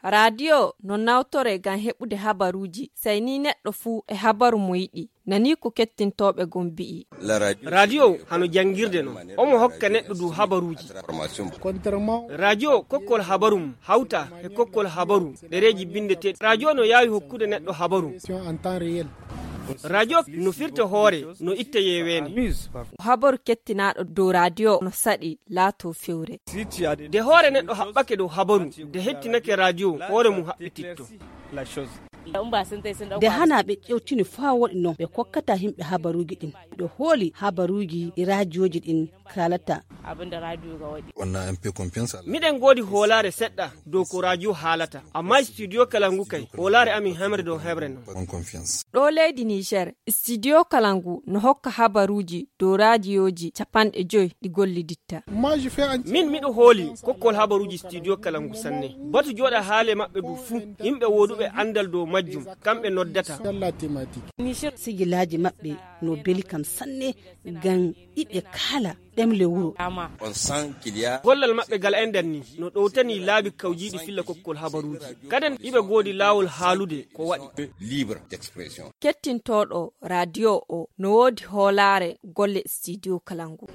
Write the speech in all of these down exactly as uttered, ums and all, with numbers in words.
Raadiyo no nawtoree ngam heɓude habaruuji, sey ni neɗɗo fuu e habaru mo yiɗi. Nanii ko kettintooɓe gom mbi'i. Raadiyo hano janngirde non. Omo hokka neɗɗo du habaruuji. Raadiyo kokkol habaru mum hawta e kokkol habaru ɗereeji binndeteeɗi. Raadiyo no yaawi hokkude neɗɗo habaru. Raadiyo no firta hoore, no itta yeeweende. Habaru kettinaaɗo dow raadiyo no saɗi laato fewre. De hoore neɗɗo haɓɓake dow habaru, de hettinake raadiyo, hoore mum haɓɓititto. De hana ɓe ƴewtini faa woɗi non, ɓe kokkata himɓe habaruuji ɗin. Miɗo hooli habaruuji ɗi raajiyooji ɗin kaalata. Miɗen ngoodi hoolaare seɗɗa dow ko raadiyo haalata, amma studio kala ngu kay, hoolaare amin hemre dow hemre non. Ɗo leydi Niger, studio kala ngu no hokka habaruuji dow raadiyooji capanɗe joy ɗi golliditta. Min miɗo hooli kokkol habaruuji studio kala ngu sanne. Batu jooɗa haale maɓɓe du fuu, yimɓe wooduɓe anndal dow majjum, kamɓe noddata. Sigilaaji maɓɓe no beli kam sanne, ngam iɓe kaala ɗemle wuro. Gollal maɓɓe gal enɗan ni no ɗowtani laabi kawjiiɗi filla kokkol habaruuji. Kaden iɓe goodi laawol haalude ko waɗi. Kettintooɗo raadiyo o no woodi hoolaare golle studio kala ngu.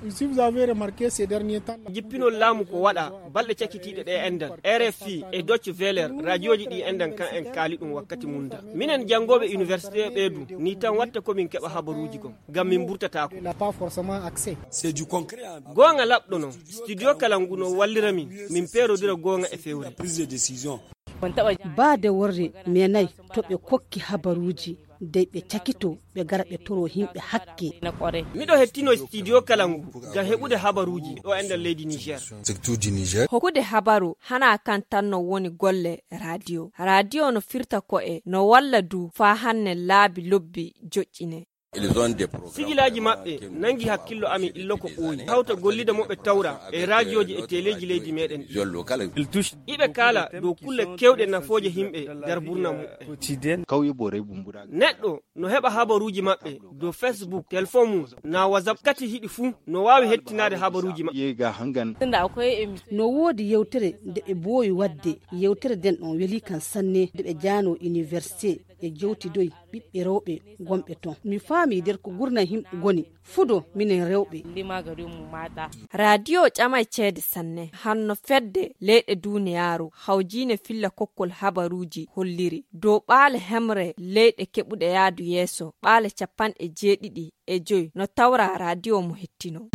Jippinol laamu ko waɗa balɗe cakitiiɗe ɗe enɗan. R F I e Deutsche Welle, raadiyooji ɗi enɗan kan en kaali ɗum wakkati mum da. Minen janngooɓe université ɓee du, ni tan watta ko min keɓa habaruuji kon, ngam min mburtataako. Goonga laɓɗo non, studio kala ngu no wallira min, min peerodira goonga e fewre. Baade worre meenay to ɓe kokki habaruuji, dey ɓe cakito, ɓe gara ɓe toro himɓe hakke. Miɗo hettino studio kala ngu ngam heɓude habaruuji ɗo enɗan leydi Niger. Hokkude habaru hana kan tan no woni golle raadiyo. Raadiyo no firta ko'e, no walla du faa hanne laabi lobbi joƴƴine. Sigilaaji maɓɓe nangi hakkillo amin illo ko ɓooyi. Hawta gollida mo ɓe tawra e raajiyooji e teleeji leydi meɗen. Iɓe kaala dow kulle kewɗe nafooje himɓe nder burna muɓɓen. Neɗɗo no heɓa habaruuji maɓɓe dow Facebook, telefon mum, na WhatsApp, kati hiɗi fuu no waawi hettinaade habaruuji maɓɓe. No woodi yewtere nde ɓe mboowi waɗde, yewtere nden on weli kan sanne, nde ɓe jaano université, ɓe jewtidoy ɓiɓɓe rewɓe gonɓe ton. Mi faami nder ko gurna himɓe goni fudo minen rewɓe. Raadiyo ƴamay ceede sanne, hanno fedde leyɗe duuniyaaru hawjiine filla kokkol habaruuji holliri dow ɓaale hemre leyɗe keɓuɗe yaadu yeeso, ɓaale capanɗe jeeɗiɗi e joy no tawra raadiyo mo hettino.